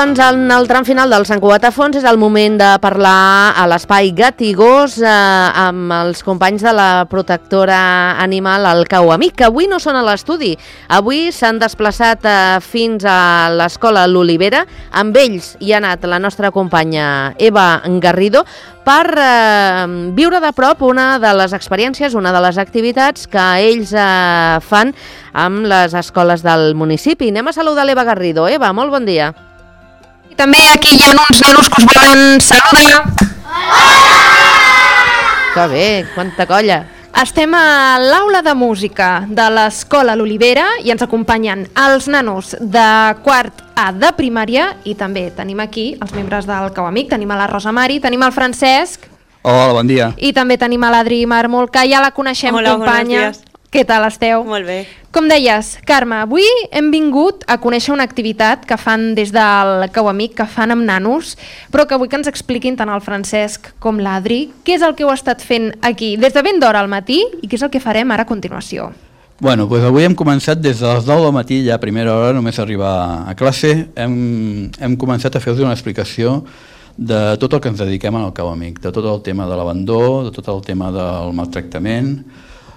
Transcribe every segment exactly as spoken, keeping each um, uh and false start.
doncs, en el tram final del Sant Cugat a Fons és el moment de parlar a l'Espai Gat i Gos eh, amb els companys de la protectora animal, el Cau Amic, que avui no són a l'estudi. Avui s'han desplaçat eh, fins a l'Escola L'Olivera. Amb ells hi ha anat la nostra companya Eva Garrido per eh, viure de prop una de les experiències, una de les activitats que ells eh, fan amb les escoles del municipi. Anem a saludar l'Eva Garrido. Eva, molt bon dia. I també aquí hi ha uns nanos que us volen saludar. Que bé, quanta colla. Estem a l'aula de música de l'Escola L'Olivera i ens acompanyen els nanos de quart A de primària i també tenim aquí els membres del Cau Amic. Tenim a la Rosa Mari, tenim al Francesc. Hola, bon dia. I també tenim a l'Adri Marmol, que ja la coneixem. Hola, companya. buenos días. Què tal esteu? Molt bé. Com deies, Carme, avui hem vingut a conèixer una activitat que fan des del Cau Amic, que fan amb nanos, però que vull que ens expliquin tant el Francesc com l'Adri què és el que heu estat fent aquí des de ben d'hora al matí i què és el que farem ara a continuació. Bueno, doncs avui hem començat des de les nou del matí, ja a primera hora, només arribar a classe, hem, hem començat a fer-vos una explicació de tot el que ens dediquem al Cau Amic, de tot el tema de l'abandó, de tot el tema del maltractament.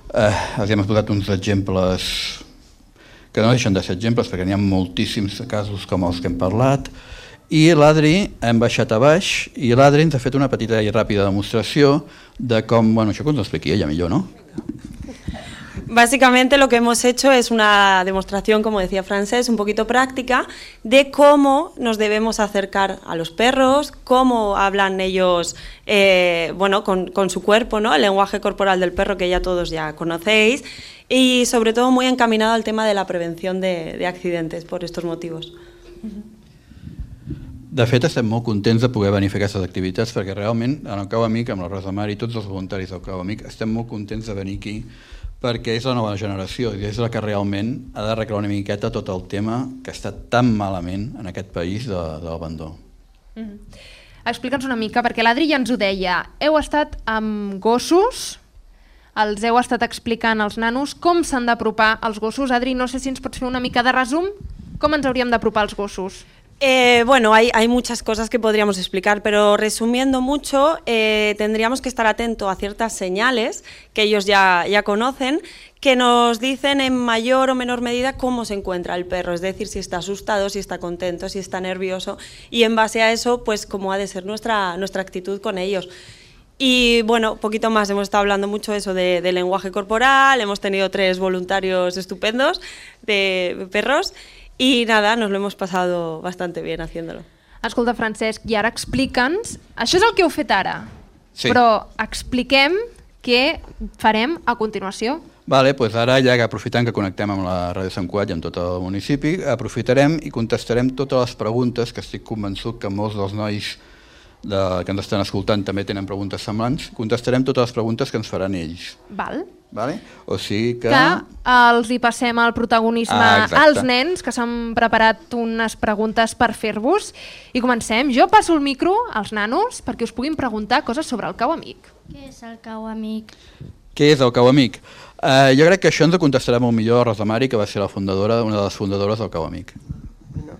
Eh, els hem explicat uns exemples que no deixen de ser exemples perquè n'hi ha moltíssims casos com els que hem parlat, i l'Adri hem baixat a baix i l'Adri ens ha fet una petita i ràpida demostració de com, bueno, això que ens ho expliqui ella millor, no? Básicamente lo que hemos hecho es una demostración, como decía Francesc, un poquito práctica de cómo nos debemos acercar a los perros, cómo hablan ellos eh, bueno, con, con su cuerpo, ¿no? El lenguaje corporal del perro que ya todos ya conocéis, y sobre todo muy encaminado al tema de la prevención de, de accidentes por estos motivos. De fet, estem molt contents de poder venir a fer aquestes activitats perquè realment en el Cau Amic, amb la Rosa Mari i tots els voluntaris del Cau Amic, estem molt contents de venir aquí perquè és la nova generació i és la que realment ha d'arreglar una miqueta tot el tema que està tan malament en aquest país de, de l'abandó. Mm-hmm. Explica'ns una mica, perquè l'Adri ja ens ho deia, heu estat amb gossos, els heu estat explicant als nanos com s'han d'apropar els gossos. Adri, no sé si ens pots fer una mica de resum, com ens hauríem d'apropar els gossos? Eh, bueno, hay, hay muchas cosas que podríamos explicar, pero resumiendo mucho, eh, tendríamos que estar atentos a ciertas señales que ellos ya, ya conocen, que nos dicen en mayor o menor medida cómo se encuentra el perro, es decir, si está asustado, si está contento, si está nervioso, y en base a eso, pues cómo ha de ser nuestra, nuestra actitud con ellos. Y bueno, poquito más, hemos estado hablando mucho eso de, de lenguaje corporal, hemos tenido tres voluntarios estupendos de perros, i nada, nos lo hemos pasado bastante bien haciéndolo. Escolta, Francesc, i ara explica'ns, això és el que heu fet ara, sí. Però expliquem què farem a continuació. Vale, doncs ara, ja que aprofitant que connectem amb la Ràdio Sant Cugat i amb tot el municipi, aprofitarem i contestarem totes les preguntes que estic convençut que molts dels nois de, que ens estan escoltant també tenen preguntes semblants. Contestarem totes les preguntes que ens faran ells. Val. Vale? O sigui que... que els hi passem el protagonisme ah, als nens, que s'han preparat unes preguntes per fer-vos. I comencem. Jo passo el micro als nanos perquè us puguin preguntar coses sobre el Cau Amic. Què és el Cau Amic? Què és el Cau Amic? Uh, jo crec que això ens ho contestarà molt millor la Rosa Mari, que va ser la fundadora, una de les fundadores del Cau Amic. No.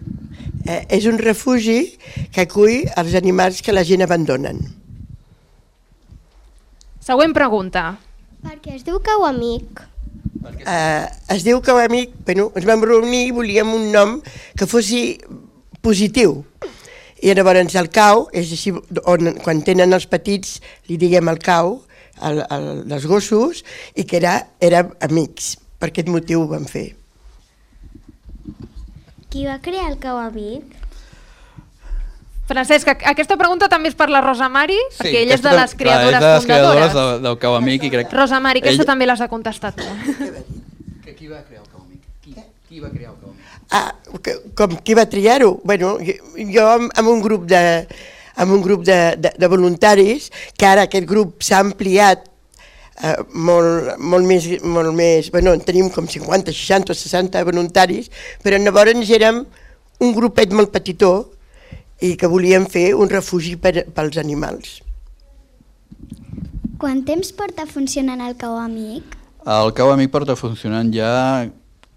Eh, és un refugi que acull els animals que la gent abandonen. Següent pregunta. Per què es diu Cau Amic? Eh, es diu Cau Amic, bueno, ens vam reunir i volíem un nom que fossi positiu. I llavors el cau, és així, on, quan tenen els petits li diguem el cau, el, el, els gossos, i que era, era amics. Per aquest motiu ho vam fer. Qui va crear el Cau Amic? Francesc, aquesta pregunta també és per la Rosa Mari, sí, perquè ella és de les creadores clar, és de les fundadores. creadores del, del Cau Amic. I crec... Rosa Mari, aquesta ell... també l'has de contestar tu. Que qui va crear el Cau Amic? Qui, qui va crear el Cau Amic? Ah, que, com qui va triar-ho? Bueno, jo amb, amb un grup de, amb un grup de, de, de voluntaris, que ara aquest grup s'ha ampliat eh, molt, molt més, molt més, bueno, en tenim com cinquanta, seixanta o seixanta voluntaris, però llavors érem un grupet molt petitó i que volíem fer un refugi per, pels animals. Quant temps porta funcionant el Cau Amic? El Cau Amic porta funcionant ja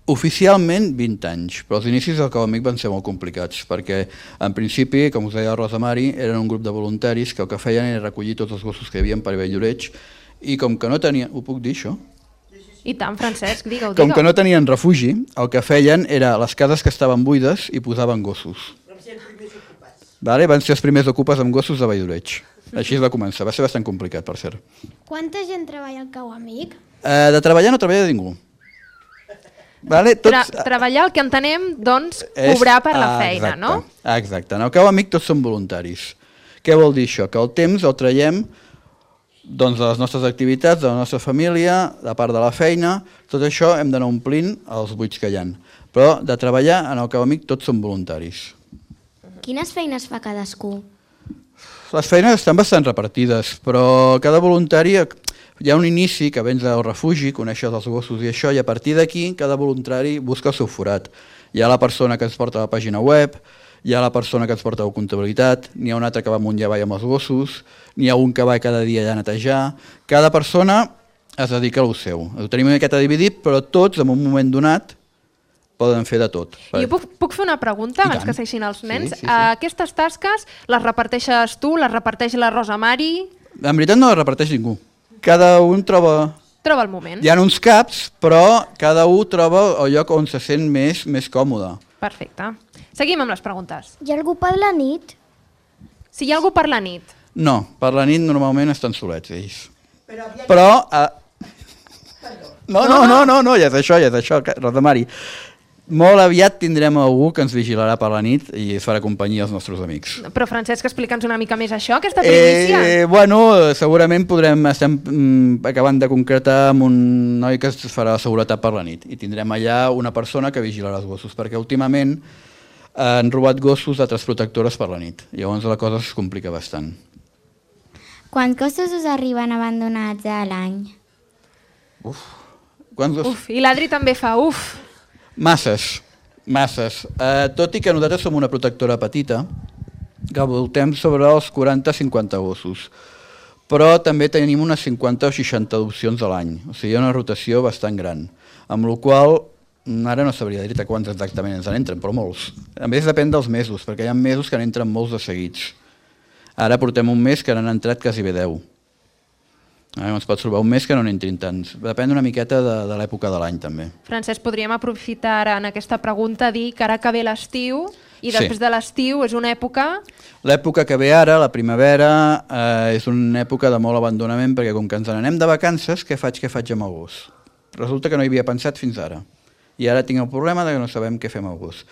Oficialment vint anys, però els inicis del Cau Amic van ser molt complicats, perquè en principi, com us deia la Rosa Mari, eren un grup de voluntaris que el que feien era recollir tots els gossos que hi havia per Valldoreix, i com que no tenien... Ho puc dir, això? I tant, Francesc, digue-ho, Com digue-ho. que no tenien refugi, el que feien era les cases que estaven buides i posaven gossos. Vale? Van ser els primers ocupes amb gossos de Valldoreix. Així es va començar, va ser bastant complicat, per cert. Quanta gent treballa al Cau Amic? Eh, de treballar no treballa ningú. Vale? Tra Tots, treballar, el que entenem, doncs, és- cobrar per la ah, feina, exacte, no? ah, Exacte. En el Cau Amic tots són voluntaris. Què vol dir això? Que el temps el traiem doncs, de les nostres activitats, de la nostra família, de part de la feina, tot això hem d'anar omplint els buits que hi ha. Però de treballar en el Cau Amic tots són voluntaris. Quines feines fa cadascú? Les feines estan bastant repartides, però cada voluntari... Hi ha un inici que vens al refugi, coneixes els gossos i això, i a partir d'aquí cada voluntari busca el seu forat. Hi ha la persona que ens porta a la pàgina web, hi ha la persona que ens porta a la comptabilitat, n'hi ha un altre que va amunt i avall amb els gossos, n'hi ha un que va cada dia allà a netejar. Cada persona es dedica a lo seu. Ho tenim una miqueta dividit, però tots, en un moment donat, poden fer de tot. I jo puc, puc fer una pregunta I abans tant. que segueixin els nens? Sí, sí, sí. Uh, aquestes tasques les reparteixes tu, les reparteix la Rosa Mari? En veritat no les reparteix ningú. Cada un troba... Troba el moment. Hi ha uns caps, però cada un troba el lloc on se sent més, més còmode. Perfecte. Seguim amb les preguntes. Hi ha algú per la nit? Si hi ha algú per la nit, No, per la nit normalment estan solets ells. Però... Eh... No, no, no, no, no, ja és això, ja és això, Rosa Mari. Molt aviat tindrem algú que ens vigilarà per la nit i es farà companyia als nostres amics. però Francesc, explica'ns una mica més això, aquesta primícia. Eh, bueno, segurament podrem, estem mm, acabant de concretar amb un noi que es farà la seguretat per la nit i tindrem allà una persona que vigilarà els gossos, perquè últimament han robat gossos d'altres protectores per la nit, llavors la cosa es complica bastant. Quants gossos us arriben abandonats a l'any? Quants gossos? Uf, i l'Adri també fa uf. Masses, masses. Eh, tot i que nosaltres som una protectora petita, que voltem sobre els quaranta a cinquanta gossos, però també tenim unes cinquanta o seixanta adopcions a l'any, o sigui, hi ha una rotació bastant gran, amb la qual ara no sabria dir-te quants exactament ens en entren, però molts. A més depèn dels mesos, perquè hi ha mesos que n'entren molts de seguits. Ara portem un mes que n'han entrat quasi bé deu. Ah, ens pots trobar un mes que no n'entrin tants. Depèn una miqueta de, de l'època de l'any, també. Francesc, podríem aprofitar ara en aquesta pregunta a dir que ara que ve l'estiu i Sí. després de l'estiu és una època... L'època que ve ara, la primavera, eh, és una època de molt abandonament, perquè com que ens n'anem de vacances, què faig, què faig amb el gos? Resulta que no hi havia pensat fins ara. I ara tinc el problema de que no sabem què fem amb el gos.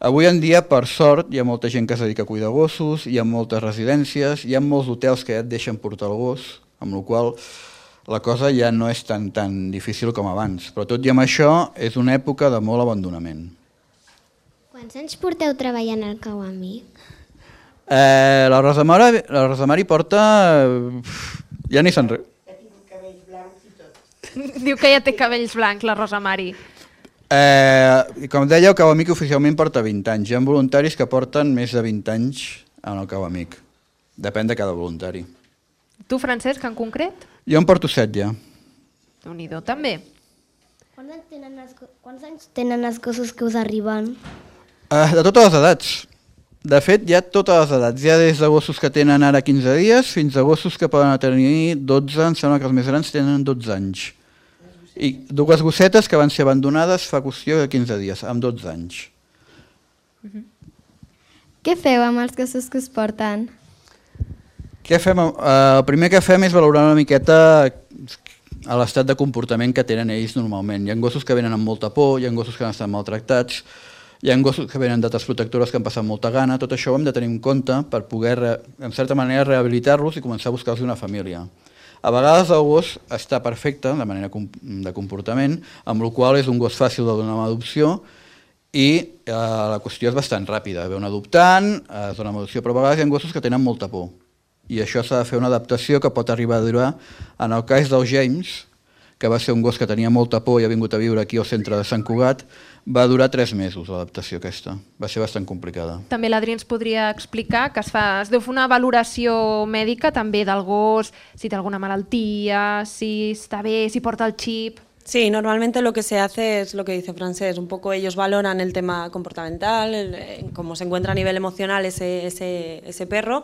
Avui en dia, per sort, hi ha molta gent que es dedica a cuidar gossos, hi ha moltes residències, hi ha molts hotels que ja et deixen portar el gos, amb la qual la cosa ja no és tan, tan difícil com abans. Però tot i amb això, és una època de molt abandonament. Quants anys porteu treballant al Cau Amic? Eh, la, Rosa Mari, la Rosa Mari porta... eh, ja ni se'n... Re... Diu que ja té cabells blancs, la Rosa Mari. Eh, com deia, el Cau Amic oficialment porta vint anys. Hi ha voluntaris que porten més de vint anys en el Cau Amic. Depèn de cada voluntari. Tu, Francesc, en concret? Jo en porto set ja. Déu-n'hi-do, també. Quants anys tenen els, quants anys tenen els gossos que us arriben? Eh, de totes les edats. De fet, hi ha totes les edats. Hi ha des de gossos que tenen ara quinze dies fins a gossos que poden tenir dotze, em sembla que els més grans tenen dotze anys. I dues gossetes que van ser abandonades fa qüestió de quinze dies, amb dotze anys. Què feu amb els gossos que us porten? Què fem? Eh, el primer que fem és valorar una miqueta a l'estat de comportament que tenen ells normalment. Hi ha gossos que venen amb molta por, hi ha gossos que han estat maltractats, hi ha gossos que venen d'altres protectores que han passat molta gana, tot això ho hem de tenir en compte per poder, en certa manera, rehabilitar-los i començar a buscar-los una família. A vegades el gos està perfecte, de manera de comportament, amb la qual és un gos fàcil de donar una adopció i eh, la qüestió és bastant ràpida. Ve un adoptant, es dona una adopció, però a vegades hi ha gossos que tenen molta por. I això s'ha de fer una adaptació que pot arribar a durar. En el cas del James, que va ser un gos que tenia molta por i ha vingut a viure aquí al centre de Sant Cugat, va durar tres mesos l'adaptació aquesta. Va ser bastant complicada. També l'Adri ens podria explicar que es, fa, es deu fer una valoració mèdica també del gos, si té alguna malaltia, si està bé, si porta el xip... Sí, normalmente lo que se hace es lo que dice Francés, un poco ellos valoran el tema comportamental, el, cómo se encuentra a nivel emocional ese, ese, ese perro,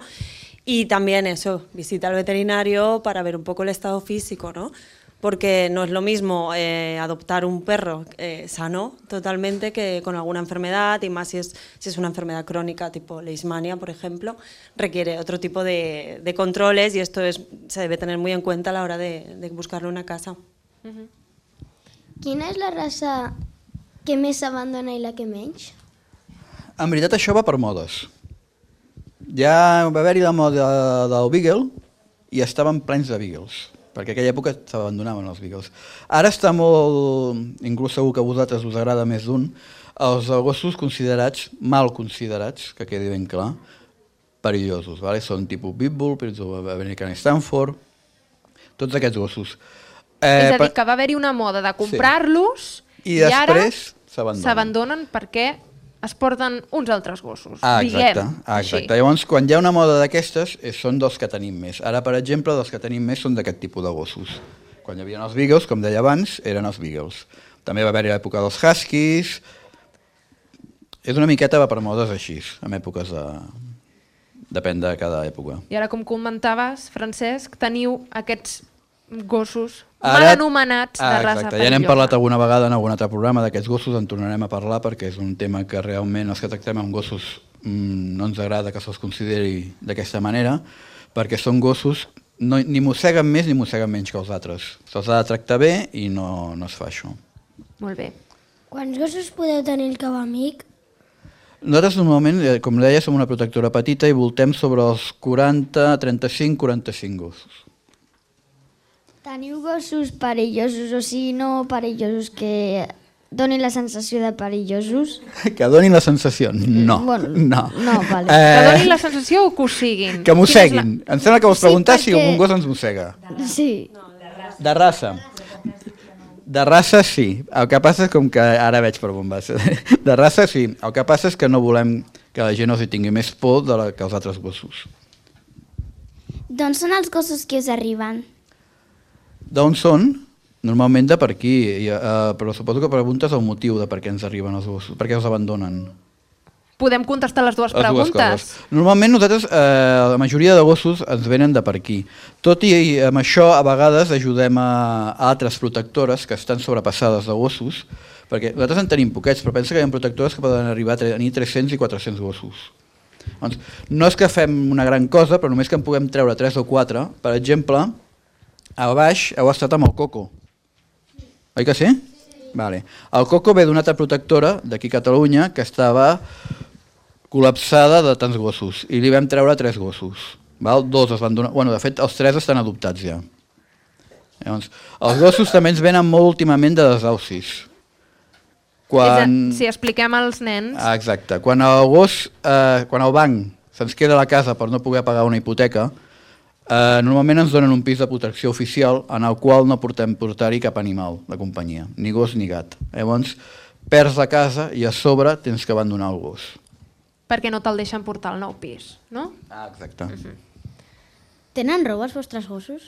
y también eso, visita al veterinario para ver un poco el estado físico, ¿no? Porque no es lo mismo eh, adoptar un perro eh, sano totalmente que con alguna enfermedad, y más si es, si es una enfermedad crónica tipo leishmania, por ejemplo, requiere otro tipo de, de controles, y esto es, se debe tener muy en cuenta a la hora de, de buscarle una casa. Uh-huh. Quina és la raça que més s'abandona i la que menys? En veritat això va per modes. Ja va haver-hi la moda del Beagle i estaven plens de Beagles, perquè en aquella època s'abandonaven els Beagles. Ara està molt, inclús segur que a vosaltres us agrada més d'un, els gossos considerats, mal considerats, que quedi ben clar, perillosos. Vale? Són tipus Pitbull, American Stanford, tots aquests gossos. Eh, és a dir, que va haver-hi una moda de comprar-los sí. I, i ara s'abandonen perquè es porten uns altres gossos. Ah, exacte, diguem, ah, exacte. Llavors, quan hi ha una moda d'aquestes, són dels que tenim més. Ara, per exemple, dels que tenim més són d'aquest tipus de gossos. Quan hi havia els Beagles, com deia abans, eren els Beagles. També va haver-hi l'època dels Huskies. És una miqueta va per modes així, en èpoques de... Depèn de cada època. I ara, com comentaves, Francesc, teniu aquests gossos Ara, mal anomenats ah, de raça exacte. perillosa. Ja n'hem parlat alguna vegada en algun altre programa d'aquests gossos, en tornarem a parlar perquè és un tema que realment els que tractem amb gossos mmm, no ens agrada que se'ls consideri d'aquesta manera, perquè són gossos, no, ni mosseguen més ni mosseguen menys que els altres. Se'ls ha de tractar bé i no, no es fa això. Molt bé. Quants gossos podeu tenir el cau amic? Nosaltres normalment, com deia, som una protectora petita i voltem sobre els quaranta, trenta-cinc, quaranta-cinc gossos. Teniu gossos perillosos, o sigui, no perillosos, que donin la sensació de perillosos? Que donin la sensació? No. Bueno, no. no, vale. Eh, Que donin la sensació o que ho siguin? Que mosseguin. La... Em sembla que vols preguntar Sí, si perquè- un gos ens mossega. Sí. De raça. De raça sí. El que passa és com que ara veig per on vas. De raça sí. El que passa és que no volem que la gent els hi tingui més por de la, que els altres gossos. D'on són els gossos que us arriben? D'on són? Normalment de per aquí, i, uh, però suposo que preguntes el motiu de per què ens arriben els gossos, per què els abandonen. Podem contestar les dues Les dues preguntes. coses. Normalment nosaltres, eh, la majoria de gossos ens venen de per aquí. Tot i amb això, a vegades ajudem a, a altres protectores que estan sobrepassades de gossos, perquè nosaltres en tenim poquets, però pensa que hi ha protectores que poden arribar a tenir tres-cents i quatre-cents gossos. Doncs, no és que fem una gran cosa, però només que en puguem treure tres o quatre. Per exemple, a baix heu estat amb el Coco. Oi que sí? Vale. El Coco ve d'una altra protectora d'aquí a Catalunya que estava col·lapsada de tants gossos i li vam treure tres gossos. Val? Dos es van donar... Bueno, de fet, els tres estan adoptats ja. Llavors, els gossos també ens venen molt últimament de desaucis. Quan... És a, si expliquem als nens... Ah, exacte. Quan el gos, eh, quan el banc se'ns queda a la casa per no poder pagar una hipoteca, eh, normalment ens donen un pis de protecció oficial en el qual no portem portar-hi cap animal de companyia, ni gos ni gat. Llavors, perds la casa i a sobre tens que abandonar el gos. Perquè no te'l deixen portar al nou pis, no? Ah, exacte. Uh-huh. Tenen roba els vostres gossos?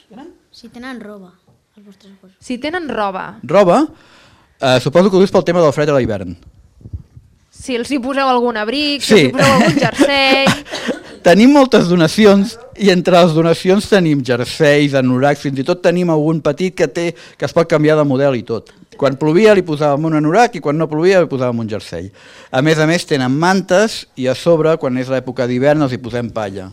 Si tenen roba els vostres gossos. Si tenen roba, Roba, eh, suposo que ho dius pel tema del fred a l'hivern. si els hi poseu algun abric, si Sí. els hi poseu algun jersei... Tenim moltes donacions i entre les donacions tenim jerseis, anoracs, fins i tot tenim algun petit que té que es pot canviar de model i tot. Quan plovia li posàvem un anorac i quan no plovia li posàvem un jersei. A més a més tenen mantes i a sobre, quan és l'època d'hivern, els hi posem palla,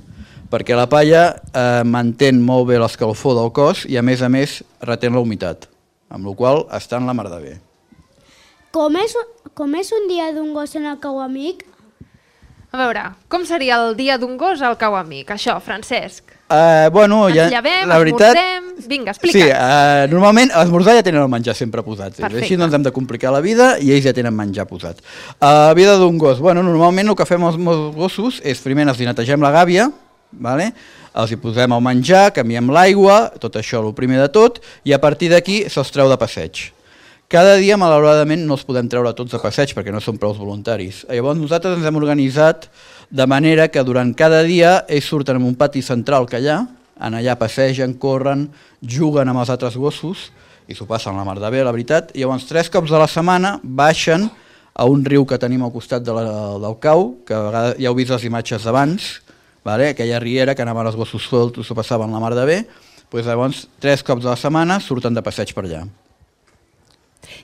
perquè la palla eh, mantén molt bé l'escalfor del cos i a més a més retén la humitat, amb la qual cosa estan la mar de bé. Com és, com és un dia d'un gos en el cau amic? A veure, com seria el dia d'un gos al cau amic? Això, Francesc. Uh, bueno, Ens ja, llevem, la veritat... esmorzem... Vinga, explica'ns. Sí, uh, normalment a l'esmorzar ja tenen el menjar sempre posat. Perfecte. Així no ens hem de complicar la vida i ells ja tenen menjar posat. Uh, la vida d'un gos. Bueno, normalment el que fem els meus gossos és primer els hi netegem la gàbia, vale? Els hi posem el menjar, canviem l'aigua, tot això el primer de tot, i a partir d'aquí se'ls treu de passeig. Cada dia, malauradament, no els podem treure tots a passeig perquè no són prou voluntaris. Llavors nosaltres ens hem organitzat de manera que durant cada dia ells surten en un pati central que hi ha, en allà passegen, corren, juguen amb els altres gossos i s'ho passen la mar de bé, la veritat, i llavors tres cops a la setmana baixen a un riu que tenim al costat de la, del cau, que a vegades ja heu vist les imatges d'abans, vale? Aquella riera que anaven els gossos solts, s'ho passaven la mar de bé, doncs llavors tres cops a la setmana surten de passeig per allà.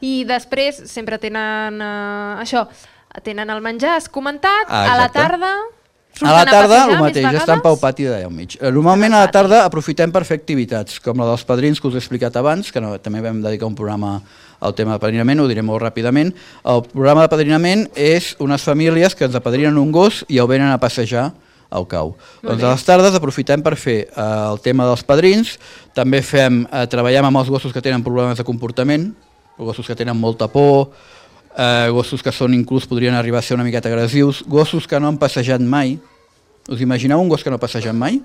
I després sempre tenen eh, això, tenen el menjar, has comentat, Ah, a la exacte. tarda surten A la tarda, a el passejar mateix, més estan pel vegades? pati d'allà al mig. Eh, Normalment a la tarda aprofitem per fer activitats, com la dels padrins que us he explicat abans, que no, també vam dedicar un programa al tema de padrinament, ho diré molt ràpidament. El programa de padrinament és unes famílies que ens apadrinen un gos i el venen a passejar al cau. Doncs a les tardes aprofitem per fer eh, el tema dels padrins, també fem, eh, treballem amb els gossos que tenen problemes de comportament, gossos que tenen molta por, eh, gossos que són inclús podrien arribar a ser una miqueta agressius, gossos que no han passejat mai. Us imagineu un gos que no ha passejat mai?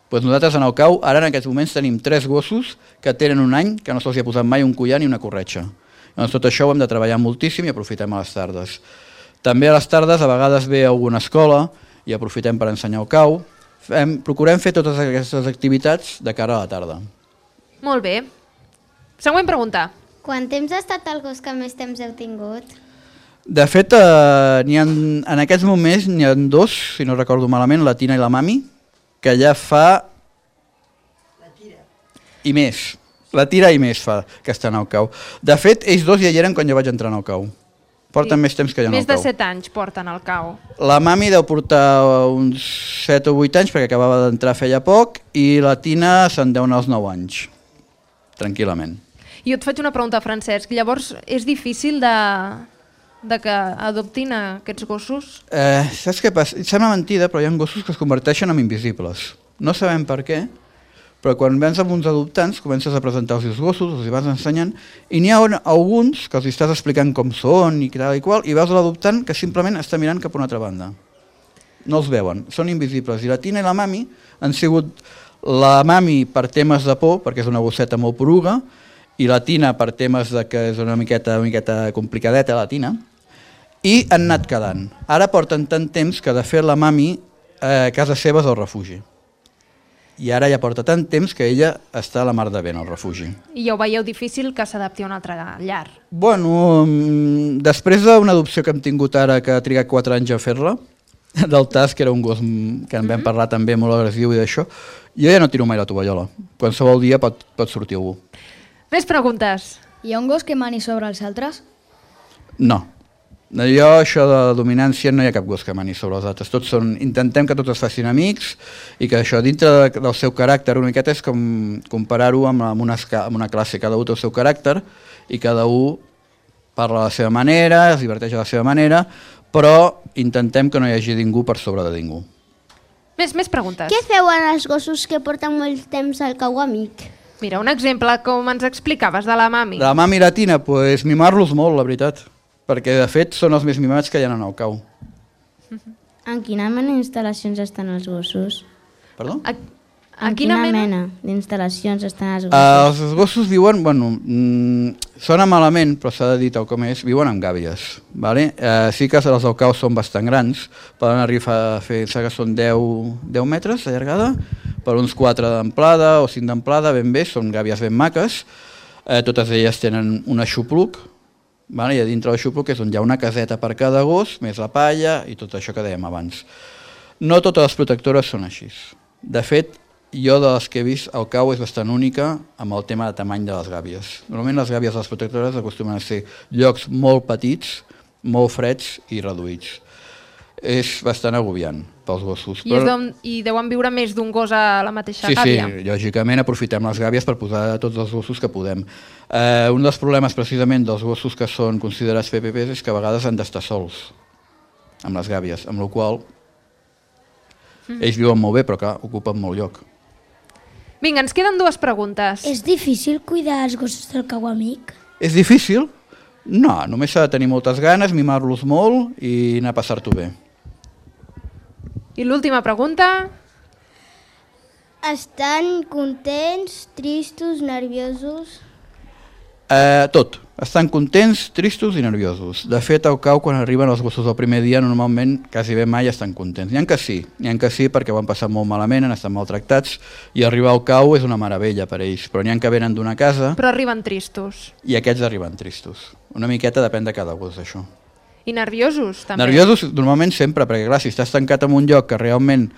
Doncs nosaltres en el cau, ara en aquests moments tenim tres gossos que tenen un any que no se'ls ha posat mai un collar ni una corretxa. Doncs tot això ho hem de treballar moltíssim i aprofitem a les tardes. També a les tardes a vegades ve alguna escola i aprofitem per ensenyar el cau. Fem, procurem fer totes aquestes activitats de cara a la tarda. Molt bé. Següent pregunta. Quant temps ha estat el gos que més temps heu tingut? De fet, eh, n'hi ha, en aquests moments n'hi ha dos, si no recordo malament, la Tina i la Mami, que ja fa... La tira. I més. La tira i més fa que estan al cau. De fet, ells dos ja hi eren quan jo vaig entrar al cau. Porten Sí. més temps que jo en el Més de cau. set anys porten al cau. La Mami deu portar uns set o vuit anys, perquè acabava d'entrar feia poc, i la Tina se'n deu anar als nou anys, tranquil·lament. I jo et faig una pregunta, Francesc. Llavors, és difícil de, de que adoptin aquests gossos? Eh, saps què passa? Sembla mentida, però hi ha gossos que es converteixen en invisibles. No sabem per què, però quan vens amb uns adoptants comences a presentar els seus gossos, els hi vas ensenyant, i n'hi ha alguns que els estàs explicant com són i tal i qual, i veus l'adoptant que simplement està mirant cap a una altra banda. No els veuen, són invisibles. I la Tina i la Mami han sigut la Mami per temes de por, perquè és una gosseta molt poruga, i la Tina per temes de que és una miqueta, una miqueta complicadeta, la Tina, i han anat quedant. Ara porten tant temps que de fet la Mami eh, a casa seva és al refugi. I ara ja porta tant temps que ella està a la mar de bé en el refugi. I ja ho veieu difícil que s'adapti a un altre llar. Bueno, mm, després d'una adopció que hem tingut ara, que ha trigat quatre anys a fer-la, del Tas, que era un gos mm, que en vam parlar també molt agressiu i d'això, jo ja no tiro mai la tovallola. Qualsevol dia pot, pot sortir algú. Més preguntes. Hi ha un gos que mani sobre els altres? No. Jo, això de dominància, no hi ha cap gos que mani sobre els altres. Tots són, intentem que tots es facin amics i que això dintre de, del seu caràcter una miqueta és com comparar-ho amb, amb, una, amb una classe. Cada un té el seu caràcter i cada un parla a la seva manera, es diverteix a la seva manera, però intentem que no hi hagi ningú per sobre de ningú. Més, més preguntes. Què feu en els gossos que porten molt temps al cau amic? Mira, un exemple com ens explicaves de la Mami. La Mami i la Tina, pues, mimar-los molt, la veritat, perquè de fet són els més mimats que hi ha en el cau. En quina mena d'instal·lacions estan els gossos? Perdó? A, En quina, quina mena, d'instal·lacions estan els gossos? Uh, els gossos viuen, bueno, mm, sona malament, però s'ha de dir tal com és, viuen en gàbies. Vale? Uh, sí que els del cau són bastant grans, poden arribar a fer, que són deu metres de llargada, per uns quatre d'amplada o cinc d'amplada, ben bé, són gàbies ben maques, uh, totes elles tenen un aixopluc, vale? I a dintre l'aixopluc és on hi ha una caseta per cada gos, més la palla i tot això que dèiem abans. No totes les protectores són així. De fet, jo de les que he vist, el cau és bastant única amb el tema de tamany de les gàbies. Normalment les gàbies de les protectores acostumen a ser llocs molt petits, molt freds i reduïts. És bastant agobiant pels gossos. I, però... deuen, I deuen viure més d'un gos a la mateixa sí, gàbia. Sí, lògicament aprofitem les gàbies per posar tots els gossos que podem. Eh, un dels problemes precisament dels gossos que són considerats P P Ps és que a vegades han d'estar sols amb les gàbies, amb la qual mm. ells viuen molt bé però clar, ocupen molt lloc. Vinga, ens queden dues preguntes. És difícil cuidar els gossos del cau amic? És difícil? No, només s'ha de tenir moltes ganes, mimar-los molt i anar a passar-t'ho bé. I l'última pregunta? Estan contents, tristos, nerviosos? Eh, tot. Estan contents, tristos i nerviosos. De fet, al cau, quan arriben els gossos el primer dia, normalment quasi bé mai estan contents. N'hi ha que sí, n'hi ha que sí perquè ho han passat molt malament, han estat maltractats, i arribar al cau és una meravella per ells, però n'hi ha que venen d'una casa... Però arriben tristos. I aquests arriben tristos. Una miqueta depèn de cada gos, això. I nerviosos, també. Nerviosos normalment sempre, perquè clar, si estàs tancat en un lloc que realment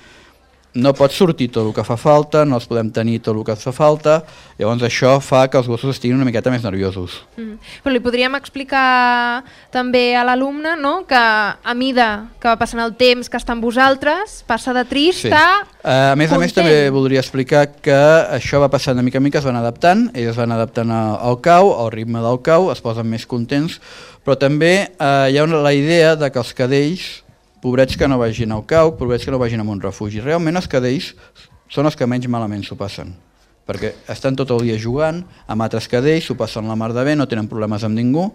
no pot sortir tot el que fa falta, no els podem tenir tot el que fa falta, llavors això fa que els gossos estiguin una miqueta més nerviosos. Mm. Però li podríem explicar també a l'alumne, no?, que a mida que va passant el temps que està amb vosaltres, passa de trist Sí. a Uh, a més content. a més també voldria explicar que això va passant de mica en mica, es van adaptant, ells es van adaptant al cau, al ritme del cau, es posen més contents, però també uh, hi ha una, la idea de que els cadells, pobrets que no vagin al cau, pobrets que no vagin a un refugi. Realment els cadells són els que menys malament s'ho passen, perquè estan tot el dia jugant amb altres cadells, s'ho passen la mar de bé, no tenen problemes amb ningú,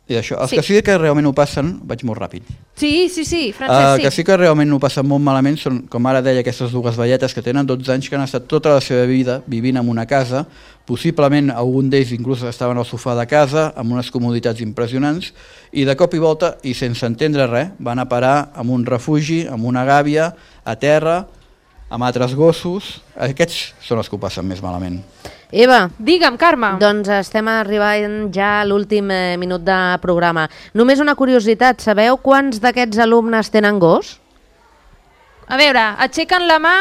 i això. Els Sí. que sí que realment ho passen, vaig molt ràpid, Sí, sí, sí, uh, Francesc, que sí. sí que realment ho passen molt malament són, com ara deia, aquestes dues velletes que tenen dotze anys, que han estat tota la seva vida vivint en una casa, possiblement algun d'ells inclús estaven al sofà de casa, amb unes comoditats impressionants, i de cop i volta, i sense entendre res, van a parar en un refugi, en una gàbia, a terra, amb altres gossos. Aquests són els que ho passen més malament. Eva, Digue'm, Carme. doncs estem arribant ja a l'últim eh, minut de programa. Només una curiositat, sabeu quants d'aquests alumnes tenen gos? A veure, aixequen la mà.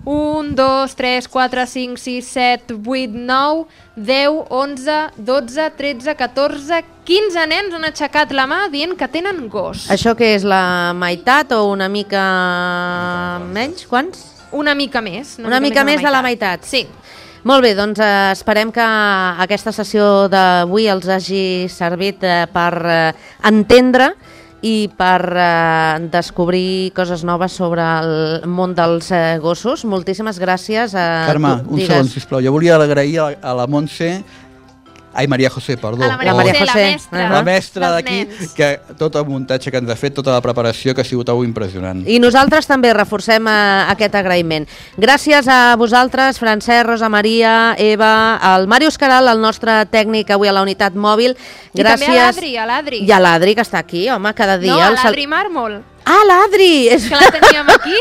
un, dos, tres, quatre, cinc, sis, set, vuit, nou, deu, onze, dotze, tretze, catorze, quinze nens han aixecat la mà dient que tenen gos. Això que és la meitat o una mica menys? Quants? Una mica més. Una mica més de la meitat. Sí. Molt bé, doncs eh, esperem que aquesta sessió d'avui els hagi servit eh, per eh, entendre i per eh, descobrir coses noves sobre el món dels eh, gossos. Moltíssimes gràcies. Eh, Carme, tu, un digues. segon, sisplau. Jo volia agrair a, a la Montse, ai, Maria José, perdó. A la Maria Oh. José, la José. mestra. Ahà. La mestra dels d'aquí, nens. que tot el muntatge que ens ha fet, tota la preparació, que ha sigut algo impressionant. I nosaltres també reforcem eh, aquest agraïment. Gràcies a vosaltres, Francesc, Rosa Maria, Eva, al Màrius Caral, el nostre tècnic avui a la unitat mòbil. I Gràcies. també a l'Adri, a l'Adri. I a l'Adri, que està aquí, home, cada dia. No, a el sal- l'Adri Màrmol, Ah, l'Adri! És... que la teníem aquí.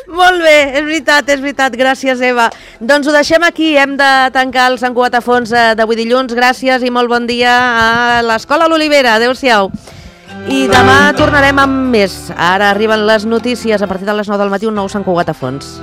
Molt bé, és veritat, és veritat. Gràcies, Eva. Doncs ho deixem aquí. Hem de tancar el Sant Cugat a fons eh, d'avui dilluns. Gràcies i molt bon dia a l'Escola L'Olivera. Adéu-siau. I demà tornarem amb més. Ara arriben les notícies. A partir de les nou del matí, un nou Sant Cugat a fons.